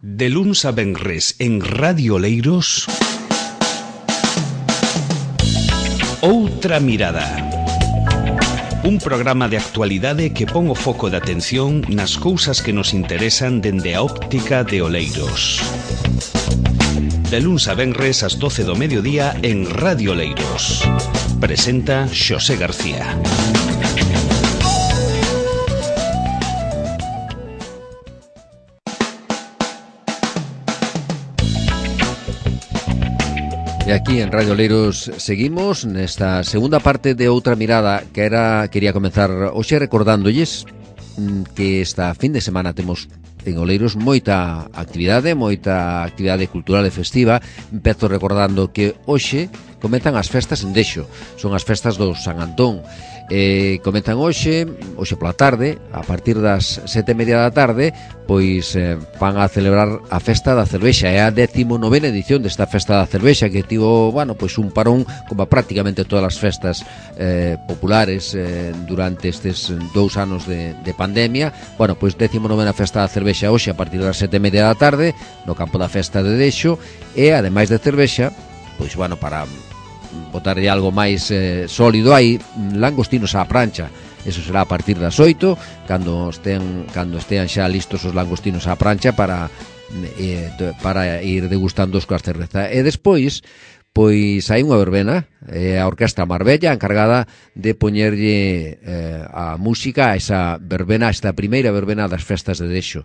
De luns a venres en Radio Oleiros, Outra Mirada. Un programa de actualidade que pon o foco de atención nas cousas que nos interesan dende a óptica de Oleiros. De luns a venres ás 12 do mediodía en Radio Oleiros. Presenta Xosé García. E aquí en Radio Oleiros seguimos nesta segunda parte de Outra Mirada quería comenzar hoxe recordándolles que esta fin de semana temos en Oleiros moita actividade cultural e festiva. Empezo recordando que hoxe comezan as festas en Dexo, son as festas do San Antón. Comezan hoxe pola tarde, a partir das 7:30 da tarde, pois van a celebrar a festa da cervexa. É a 19ª edición desta festa da cervexa que tivo, pois un parón como prácticamente todas as festas populares durante estes 2 anos de pandemia. Pois 19ª festa da cervexa hoxe a partir das 7:30 da tarde no campo da festa de Dexo, e ademais de cervexa, pois para botarlle algo máis sólido, hai langostinos á prancha. Eso será a partir das 8, cando estean xa listos os langostinos á prancha para ir degustando coas cerveza. E despois, pois hai unha verbena, a Orquestra Marbella encargada de poñerlle a música a esa verbena, esta primeira verbena das festas de Dexo.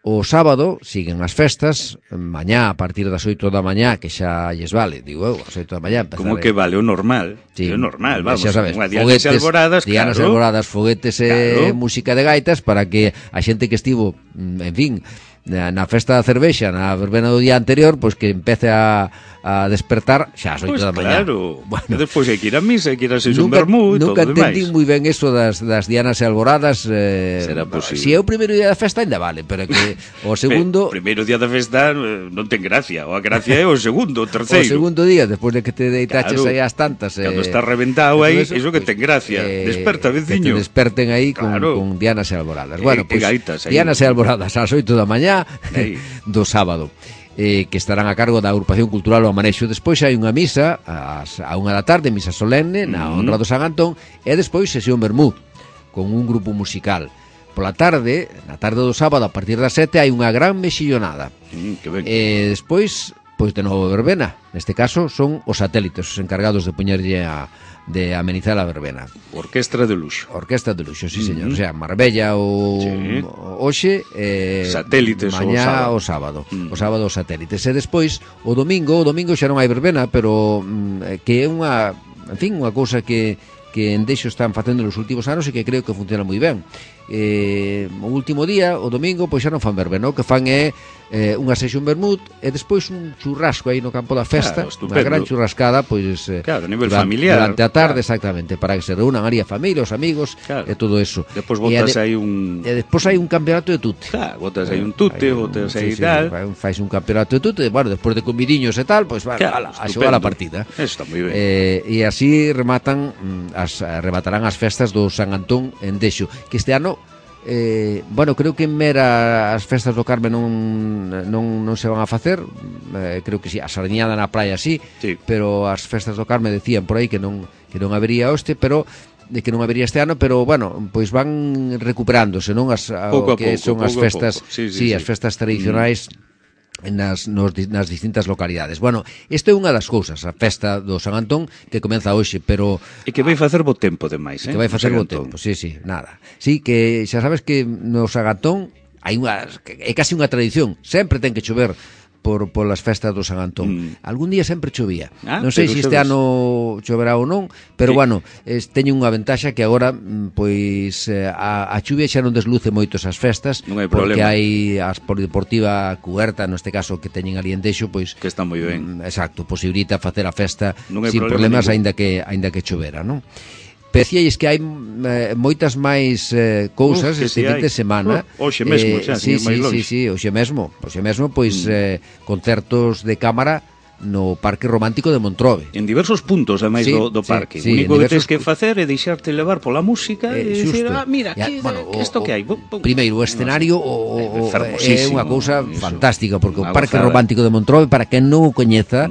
O sábado siguen as festas, mañá a partir das 8 da mañá, que xa lles vale, digo eu, as 8 da mañá empezar. Como que vale o normal? Sí, o normal, vamos, xa sabes, Dianas Alboradas, Dianas Alboradas, foguetes e música de gaitas para que a xente que estivo, en fin, na festa da cervexa, na verbena do día anterior, pois que empece a despertar xa ás 8 da mañá. Claro, e despois hai que ir a misa, hai que ir a ser un vermú e todo o demais. Nunca entendí moi ben eso das Dianas e Alboradas. Será posible. Si é o primeiro día da festa ainda vale, pero que o segundo... O primeiro día da festa non ten gracia, a gracia é o segundo, o terceiro. O segundo día, despois de que te deitaches aí ás tantas... Cando estás reventado aí, iso que ten gracia. Desperta, veciño. Que te desperten aí con Dianas e Alboradas. Bueno, pois Dianas e Alboradas ás 8 da mañá do sábado. Que estarán a cargo da Agrupación Cultural O Amanexo. Despois hai unha misa a 1 da tarde, misa solemne na honra do San Antón, e despois sesión vermú con un grupo musical. Pola tarde, na tarde do sábado a partir das 7 hai unha gran mexillonada. E despois, pois de novo verbena. Neste caso son os satélites os encargados de poñerlle de amenizar a verbena. Orquestra de luxo. Orquestra de luxo, sí, señor. O sea, Marbella hoxe, satélites mañá o sábado. O sábado os satélites. E despois, o domingo xa non hai verbena, pero que é unha cousa que en Dexo están facendo nos últimos anos e que creo que funciona moi ben. O último día, o domingo, pois xa non fan verbena, o que fan é unha sesión vermut e despois un churrasco aí no campo da festa, unha gran churrascada, pois a nivel familiar, durante a tarde, exactamente, para que se reúnan ali a familia, os amigos, e todo eso. Despois botas aí un... E despois hai un campeonato de tute. Botas aí un tute, botas aí tal. Fais un campeonato de tute, despois de comidiños e tal, pois a xogar a partida. Eso está moi ben. E así rematarán as festas do San Antón en Dexo, que este ano creo que en Mera as festas do Carme non se van a facer. Creo que si, a sardiñada na praia sí, pero as festas do Carme decían por aí que non habería pero de que non habería este ano, pero pois van recuperándose, non as son as festas, as festas tradicionais nas distintas localidades. Isto é unha das cousas, a festa do San Antón que comeza hoxe, pero... E que vai facer bo tempo, demais, Que vai facer bo tempo, sí, nada. Sí, que xa sabes que no San Antón é casi unha tradición, sempre ten que chover polas festas do San Antón. Algún día sempre chovía. Non sei se este ano choverá ou non, pero teño unha ventaxa que agora pois a chuvia xa non desluce moito esas festas, porque hai a polideportiva cuberta, neste caso que teñen ali en Dexo, pois que está moi ben. Exacto, posibilita facer a festa sin problemas aínda que chovera, non? Decíais que hai moitas máis cousas este fin de semana. Hoxe mesmo, xa, sí, hoxe mesmo, pois concertos de cámara no Parque Romántico de Montrove. En diversos puntos, ademais, do parque. O único que tens que facer é deixarte levar pola música e dicir, mira, isto que hai. Primeiro, o escenario é unha cousa fantástica, porque o Parque Romántico de Montrove, para quen non o coñeza,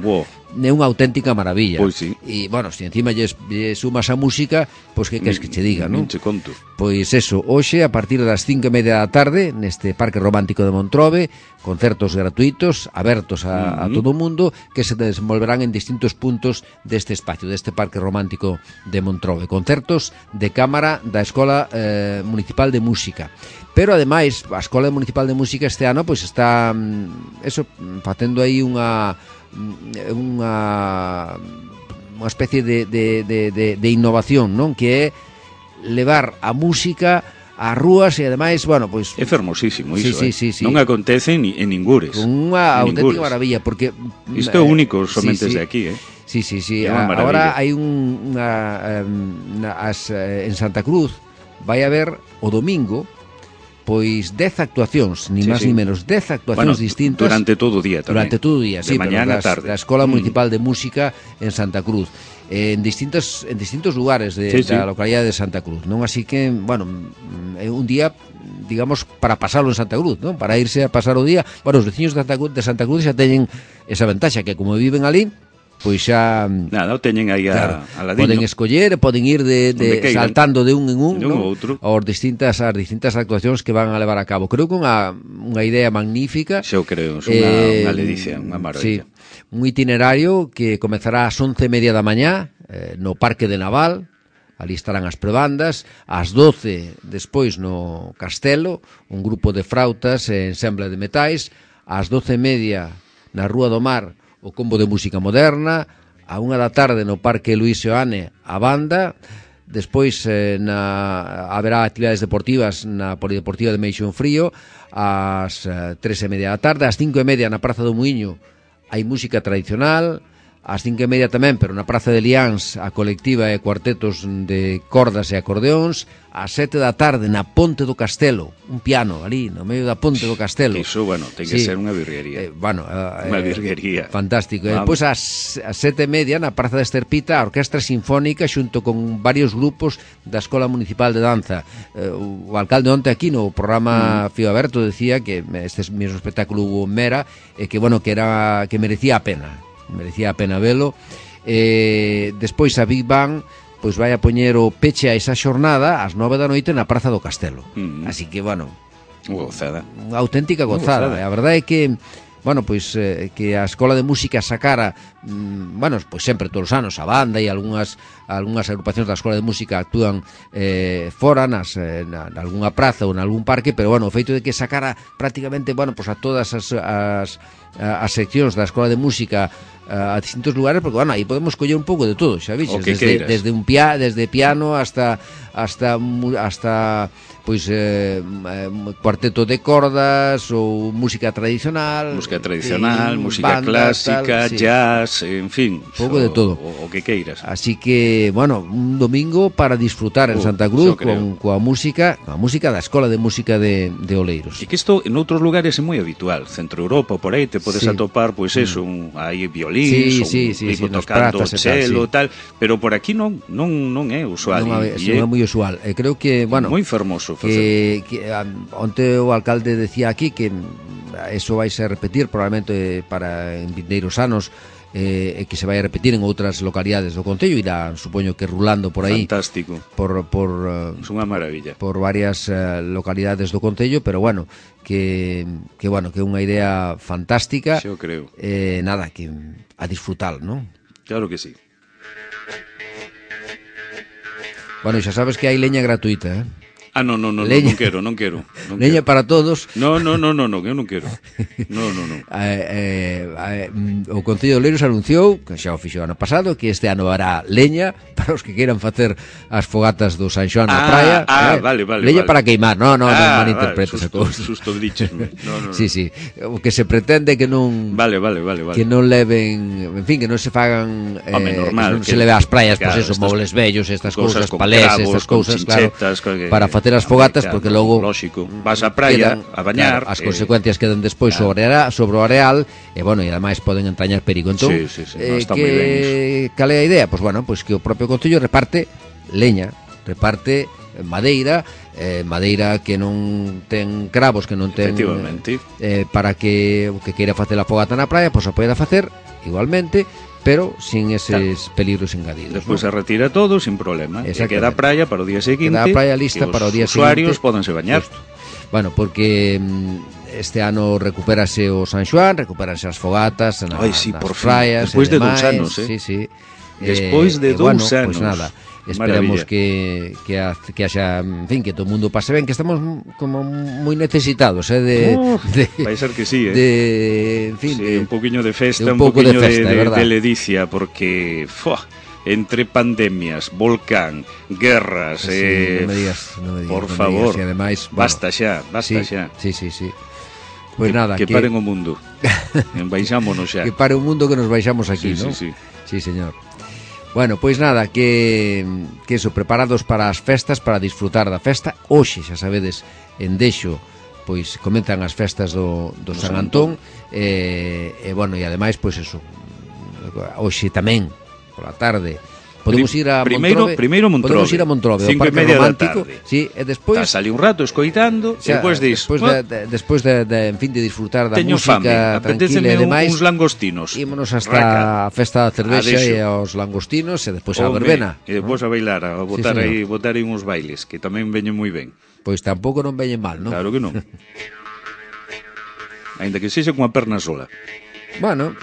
é unha auténtica maravilla. Pois sí. E, bueno, se encima lle sumas a música, pois que queres que che diga, non? Che conto. Pois eso, hoxe, a partir das 5:30 da tarde, neste Parque Romántico de Montrove, concertos gratuitos, abertos a todo o mundo, que se desenvolverán en distintos puntos deste espacio, deste Parque Romántico de Montrove. Concertos de cámara da Escola Municipal de Música. Pero, ademais, a Escola Municipal de Música este ano, pois está, facendo aí unha especie de innovación, non? Que é levar a música ás rúas e ademais, bueno, pois é fermosísimo iso, sí. Non acontece en ningures. Unha auténtica maravilla, porque isto é único somente de aquí, Sí. Agora hai en Santa Cruz vai haber o domingo pois 10 actuacións, ni máis ni menos, 10 actuacións distintas durante todo o día tamén. Durante todo o día, sí, mañá a tarde. Da Escola Municipal de Música en Santa Cruz. En distintos lugares da localidade de Santa Cruz, non? Así que, bueno, é un día, digamos, para pasarlo en Santa Cruz, non? Para irse a pasar o día. Bueno, os veciños de Santa Cruz xa teñen esa ventaxa, que como viven ali, pois xa nada, o teñen aí a ladino. Poden escoller, poden ir de saltando de un en un, non? Outro. As distintas actuacións que van a levar a cabo. Creo que unha idea magnífica. Xa o creo, unha ledicia, unha maravilla. Sí, un itinerario que comezará ás 11:30 da mañá no Parque de Naval. Ali estarán as prebandas, ás 12 despois no Castelo, un grupo de frautas e ensemble de metais, ás 12:30 na Rúa do Mar, o combo de música moderna, a 1 da tarde no Parque Luís Seoane a banda, despois haberá actividades deportivas na Polideportiva de Meixón Frío, ás 3:30 da tarde, ás 5:30 na Praza do Muiño hai música tradicional, ás 5:30 tamén, pero na Praza de Liáns, a colectiva e cuartetos de cordas e acordeóns, ás 7 da tarde na Ponte do Castelo, un piano ali no medio da Ponte do Castelo. Iso, bueno, ten que ser unha virguería. Unha virguería. Fantástico. Depois ás 7:30 na Praza de Esterpita, a Orquestra Sinfónica xunto con varios grupos da Escola Municipal de Danza. O alcalde onte aquí no programa Fío Aberto decía que este mesmo espectáculo hubo en Mera e que, bueno, que merecía a pena velo. Despois a Big Bang pois vai a poñer o peche a esa xornada ás 9 da noite na Praza do Castelo. Así que, bueno, gozada. Unha auténtica gozada. A verdade é que, bueno, pois que a Escola de Música sacara, bueno, pois sempre todos os anos a banda e algunhas agrupacións da Escola de Música actúan fora na algunha praza ou en algún parque, pero, bueno, o feito de que sacara prácticamente, bueno, pois a todas as seccións da Escola de Música a distintos lugares, porque, bueno, aí podemos coller un pouco de todo, xa vixes, desde piano hasta pois cuarteto de cordas ou música tradicional, música clásica, jazz, en fin, pouco de todo, o que queiras. Así que, bueno, un domingo para disfrutar en Santa Cruz coa música da Escola de Música de Oleiros. E que isto en outros lugares é moi habitual, Centro Europa, por aí te podes atopar, pois eso, hai violíns, un tocando cello, tal, pero por aquí non é usual. Non é moi usual. Creo que, bueno, moi fermoso que onte o alcalde decía aquí que eso vai ser repetir probablemente para en vindeiros anos, que se vai a repetir en outras localidades do concello, irá, supoño que rulando por aí. Fantástico. Por é unha maravilla. Por varias localidades do concello, pero bueno, que é unha idea fantástica. Xo creo. Nada, que a disfrutar, non? Claro que sí. Bueno, xa sabes que hai leña gratuita, non quero. Leña para todos. No, eu non quero. No. O Concello de Oleiros anunciou, que xa o fixo ano pasado, que este ano hará leña para os que queiran facer as fogatas do San Xoán na praia. Vale. Leña para queimar, non malinterpretes a cousa. Susto díchesme. No. Sí. O que se pretende que non Vale. Que non leven, en fin, que non se fagan normal, que non se leve ás praias, pois eso, mobles vellos, estas cousas, palés, estas cousas, claro, para facer as fogatas, porque logo lógico, vas á praia a bañar, claro, as consecuencias quedan despois sobre o areal, e bueno, e ademais poden entrañar perigo. Entón, sí, no, está moi ben iso. Cal é a idea? Pois bueno, pois que o propio Concello reparte leña, reparte madeira, madeira que non ten cravos, que non ten, para que o que queira facer a fogata na praia, pois a poida facer igualmente, pero sin eses peligros engadidos. Despois se retira todo sin problema, e queda a praia para o día seguinte, queda a praia lista para o día seguinte, os usuarios pódense bañar. Justo. Bueno, porque este ano recupérase o San Xoán, recupérase as fogatas nas praias, despois de 2 anos, sí. Despois de 2 anos. Pois nada, esperamos que haxa, en fin, que todo o mundo pase ben, que estamos como moi necesitados, vai ser que sí, en fin, sí, un poquinho de festa, un poquinho de ledicia, porque entre pandemias, volcán, guerras, no me digas, por favor, y ademais, basta xa. Sí. Pois nada, que paren o mundo. Baixámonos xa. Que pare o mundo, que nos baixamos aquí, ¿no? Sí, señor. Bueno, pois nada, que eso, preparados para as festas, para disfrutar da festa. Hoxe, xa sabedes, en Dexo, pois comenzan as festas do San Antón, e bueno, e ademais, pois eso, hoxe tamén, pola tarde, podemos ir a Montrove. Primeiro Montrove. Podemos ir a Montrove, 5:30 ao Parque Romántico, sí, e despois ali un rato escoitando, e despois de en fin, de disfrutar da música tranquila e demais. Uns langostinos. Ímonos hasta a festa da cervexa e aos langostinos, e despois a verbena. E despois a bailar, a botar aí uns bailes, que tamén veñen moi ben. Pois tampouco non veñen mal, non? Claro que non. Aínda que sexa cunha perna sola. Bueno,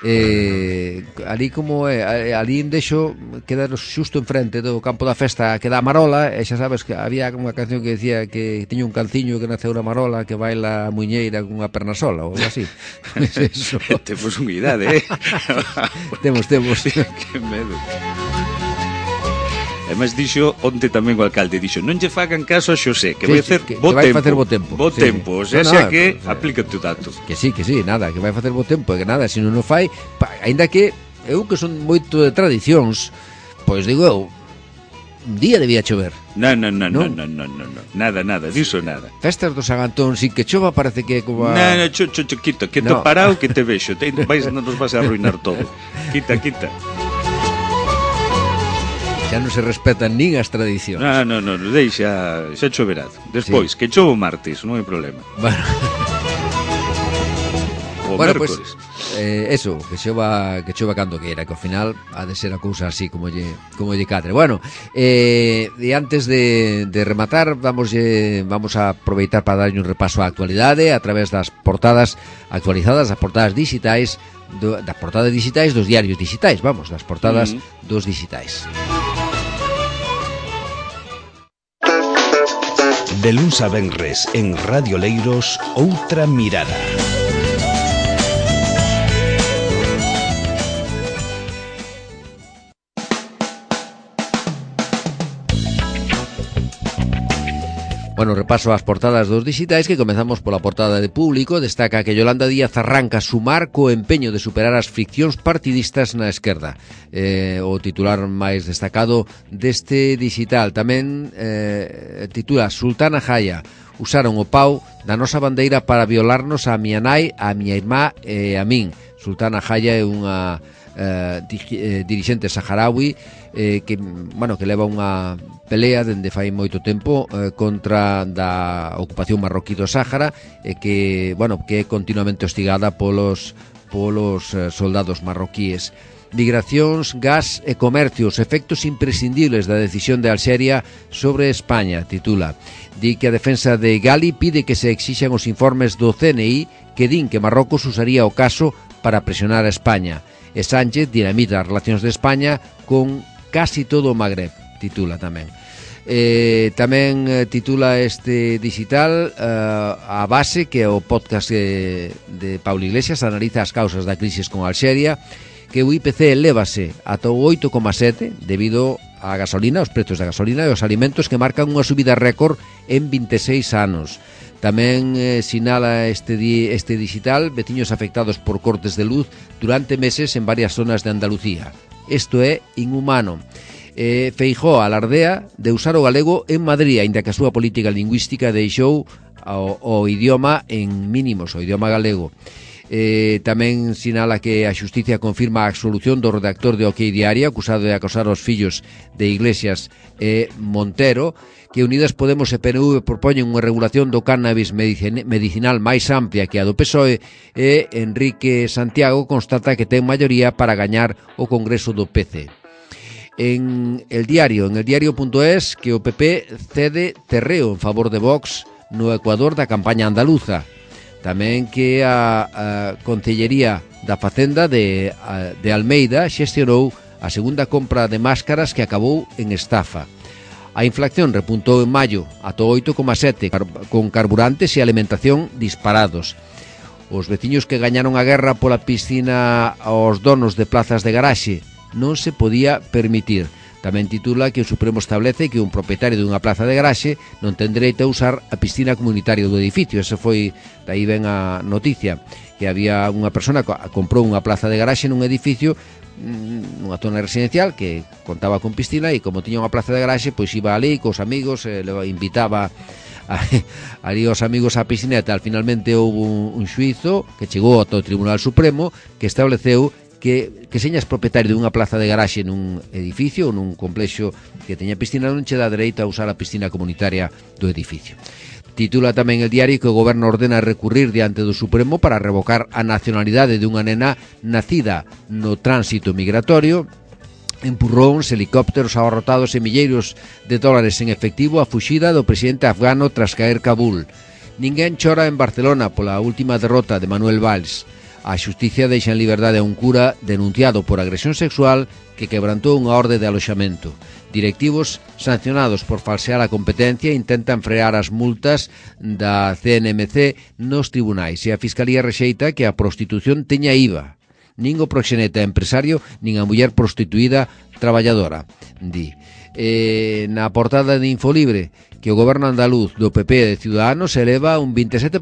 ali como ali en Dexo, queda xusto enfrente do campo da festa, que dá a Marola, e xa sabes que había unha canción que decía que tiña un canciño que naceu na Marola, que baila a muñeira cunha perna sola, ou así. Eso. Temos unha idade, Temos. Que medo. Ademais dixo onte tamén o alcalde, dixo, non lle fagan caso a Xosé, que vai facer bo tempo. Bo tempo, o sea, que aplícate o dato. Que sí, nada, que vai facer bo tempo, e que nada, se non o fai, aínda que eu que son moito de tradicións, pois digo eu, un día debía chover. Non, nada, diso nada. Festas do San Antón, sin que chova, parece que é como a... No, quito, que te parao, que te vexo, non nos vas a arruinar todo. Quita. Xa non se respetan nin as tradicións. Non, deixa, xa choverá. Despois, que chovo martes, non hai problema. Bueno, pues, eso, que chova cando queira, que ao final ha de ser a cousa así como lle cadre. Bueno, e antes de rematar, vamos a aproveitar para darlle un repaso á actualidade a través das portadas actualizadas, das portadas digitais, das portadas digitais dos diarios digitais, das portadas dos digitais. De luns a venres en Radio Leiros, Outra Mirada. Bueno, repaso as portadas dos digitais, que comezamos pola portada de Público. Destaca que Yolanda Díaz arranca sumar co empeño de superar as friccións partidistas na esquerda. O titular máis destacado deste digital. Tamén titula Sultana Jaya: usaron o pau da nosa bandeira para violarnos a miña nai, a miña irmá e a min. Sultana Jaya é unha dirixente saharaui que leva unha pelea dende fai moito tempo contra da ocupación marroquí do Sáhara, e que é continuamente hostigada polos soldados marroquíes. Migracións, gas e comercio, os efectos imprescindibles da decisión de Alxeria sobre España, titula. Di que a defensa de Gali pide que se exixan os informes do CNI que din que Marrocos usaría o caso para presionar a España. E Sánchez dinamita as relacións de España con casi todo o Magreb, titula tamén. Tamén titula este digital A Base, que é o podcast de Paulo Iglesias, analiza as causas da crisis con Alxeria, que o IPC elévase ata o 8,7 debido á gasolina, os prezos da gasolina e os alimentos, que marcan unha subida récord en 26 anos. Tamén sinala este digital veciños afectados por cortes de luz durante meses en varias zonas de Andalucía. Isto é inhumano. Feijóo alardea de usar o galego en Madrid, aínda que a súa política lingüística deixou o idioma en mínimos, o idioma galego. Tamén sinala que a Xusticia confirma a absolución do redactor de OK Diario acusado de acosar os fillos de Iglesias e Montero, que Unidas Podemos e PNV propoñen unha regulación do cannabis medicinal máis amplia que a do PSOE, e Enrique Santiago constata que ten maioría para gañar o Congreso do PC. En el diario.es, que o PP cede terreo en favor de Vox no Ecuador da campaña andaluza. Tamén que a Concellería da Facenda de Almeida xestionou a segunda compra de máscaras que acabou en estafa. A inflación repuntou en maio ata 8,7, con carburantes e alimentación disparados. Os veciños que gañaron a guerra pola piscina aos donos de plazas de garaxe non se podía permitir. Tamén titula que o Supremo establece que un propietario dunha plaza de garaxe non ten dereito a usar a piscina comunitaria do edificio. Ese foi, daí ven a noticia, que había unha persona que comprou unha plaza de garaxe nun edificio, nunha zona residencial que contaba con piscina, e como tiña unha plaza de garaxe, pois iba ali cos amigos, invitaba ali os amigos á piscineta. Finalmente houve un xuizo que chegou ao Tribunal Supremo que estableceu que señas propietario dunha plaza de garaxe nun edificio ou nun complexo que teña piscina non che dá dereito a usar a piscina comunitaria do edificio. Titula tamén el diario que o goberno ordena recurrir diante do Supremo para revocar a nacionalidade dunha nena nacida no tránsito migratorio. Empurróns, helicópteros abarrotados e milleiros de dólares en efectivo a fuxida do presidente afgano tras caer Kabul. Ninguén chora en Barcelona pola última derrota de Manuel Valls. A xusticia deixa en liberdade a un cura denunciado por agresión sexual que quebrantou unha orde de aloxamento. Directivos sancionados por falsear a competencia intentan frear as multas da CNMC nos tribunais, e a Fiscalía rexeita que a prostitución teña IVA. Nin o proxeneta empresario, nin a muller prostituída traballadora, di. Na portada de Infolibre, que o goberno andaluz do PP e de Ciudadanos eleva un 27%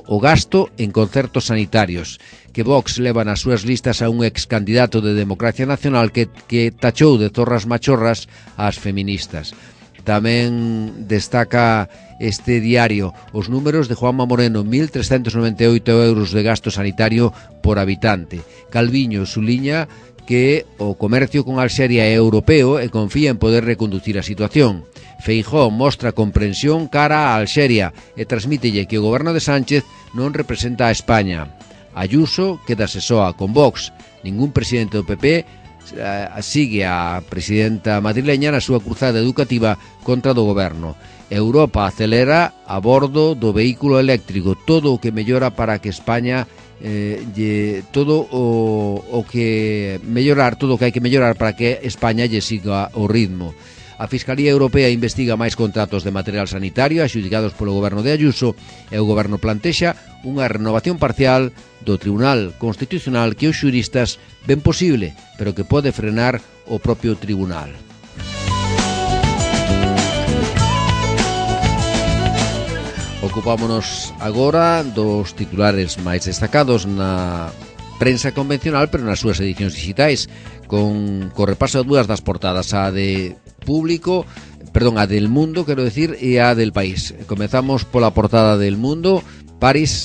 o gasto en concertos sanitarios, que Vox leva nas súas listas a un ex candidato de Democracia Nacional que tachou de zorras machorras ás feministas. Tamén destaca este diario os números de Juanma Moreno, 1.398 euros de gasto sanitario por habitante. Calviño suliña que o comercio con Alxeria é europeo e confía en poder reconducir a situación. Feijóo mostra comprensión cara a Alxeria e transmítelle que o goberno de Sánchez non representa a España. Ayuso quedase soa con Vox. Ningún presidente do PP sigue a presidenta madrileña na súa cruzada educativa contra do goberno. Europa acelera a bordo do vehículo eléctrico, todo o que mellora para que España todo o que hai que mellorar para que España lle siga o ritmo. A Fiscalía Europea investiga máis contratos de material sanitario adxudicados polo goberno de Ayuso, e o goberno plantexa unha renovación parcial do Tribunal Constitucional que os xuristas ven posible, pero que pode frenar o propio tribunal. Ocupámonos agora dos titulares máis destacados na prensa convencional, pero nas súas edicións digitais, con repaso a dúas das portadas, a de Público, a del Mundo, quero decir, e a del País. Comezamos pola portada del Mundo. París.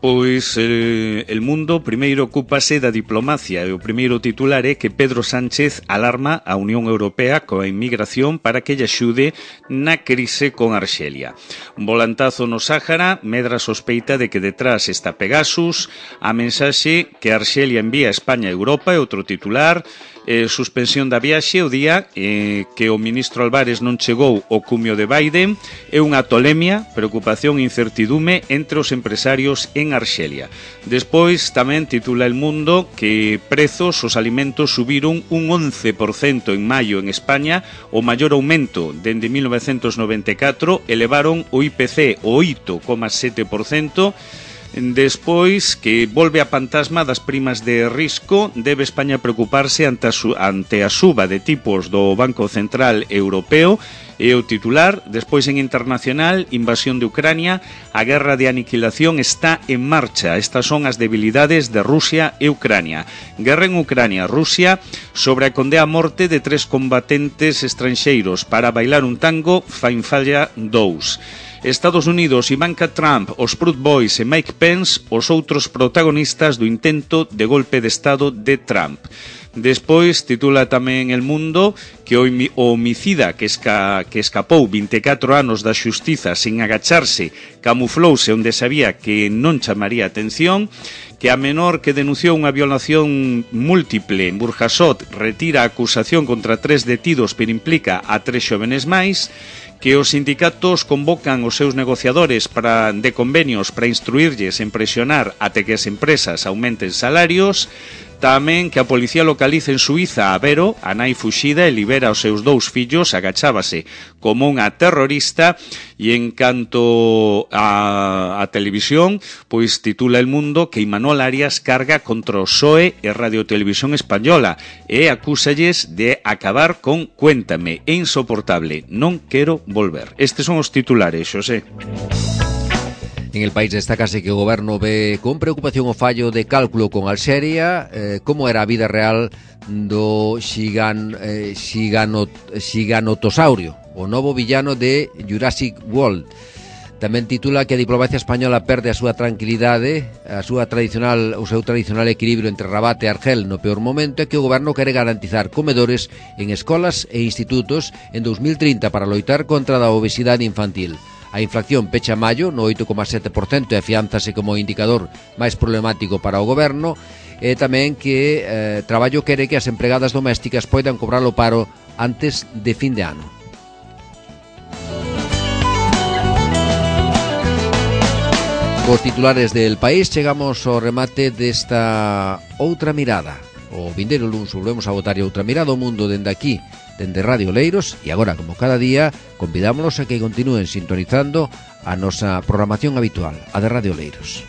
Pois el Mundo primeiro ocúpase da diplomacia, e o primeiro titular é que Pedro Sánchez alarma a Unión Europea coa inmigración para que lle axude na crise con Arxelia. Un volantazo no Sáhara medra sospeita de que detrás está Pegasus. A mensaxe que Arxelia envía a España e Europa é outro titular. Suspensión da viaxe o día que o ministro Álvarez non chegou ao cumio de Biden. É unha tolemia, preocupación e incertidume entre os empresarios en Arxelia. Despois tamén titula El Mundo que prezos os alimentos subiron un 11% en maio en España, o maior aumento dende 1994, elevaron o IPC o 8,7%. Despois, que volve a fantasma das primas de risco, debe España preocuparse ante a suba de tipos do Banco Central Europeo, e o titular. Despois, en internacional, invasión de Ucrania, a guerra de aniquilación está en marcha. Estas son as debilidades de Rusia e Ucrania. Guerra en Ucrania, Rusia sobre a condea a morte de 3 combatentes estranxeiros para bailar un tango fain falla 2. Estados Unidos, Ivanka Trump, os Proud Boys e Mike Pence, os outros protagonistas do intento de golpe de Estado de Trump. Despois, titula tamén El Mundo que o homicida que escapou 24 anos da xustiza sin agacharse, camuflouse onde sabía que non chamaría atención, que a menor que denunciou unha violación múltiple en Burjasot retira a acusación contra 3 detidos pero implica a 3 xovenes máis, que os sindicatos convocan os seus negociadores de convenios para instruirlles en presionar até que as empresas aumenten salarios. Tamén que a policía localiza en Suiza a Vero, a nai fuxida, e libera os seus 2 fillos, agachábase como unha terrorista. E en canto a televisión, pois titula El Mundo que Imanol Arias carga contra o PSOE e Radio Televisión Española e acúsalles de acabar con Cuéntame, é insoportable, non quero volver. Estes son os titulares, Xosé. En El País destácase que o goberno ve con preocupación o fallo de cálculo con Alxeria, como era a vida real do xiganotosaurio, o novo villano de Jurassic World. Tamén titula que a diplomacia española perde a súa tranquilidade, o seu tradicional equilibrio entre Rabat e Argel no peor momento, e que o goberno quere garantizar comedores en escolas e institutos en 2030 para loitar contra a obesidade infantil. A inflación pecha maio no 8,7% e afiánzase como indicador máis problemático para o goberno, e tamén que Traballo quere que as empregadas domésticas poidan cobrar o paro antes de fin de ano. Cos titulares del País chegamos ao remate desta outra mirada. O vindeiro luns volvemos a botar outra mirada ao mundo dende aquí, dende Radio Oleiros, e agora, como cada día, convidámonos a que continúen sintonizando a nosa programación habitual, a de Radio Oleiros.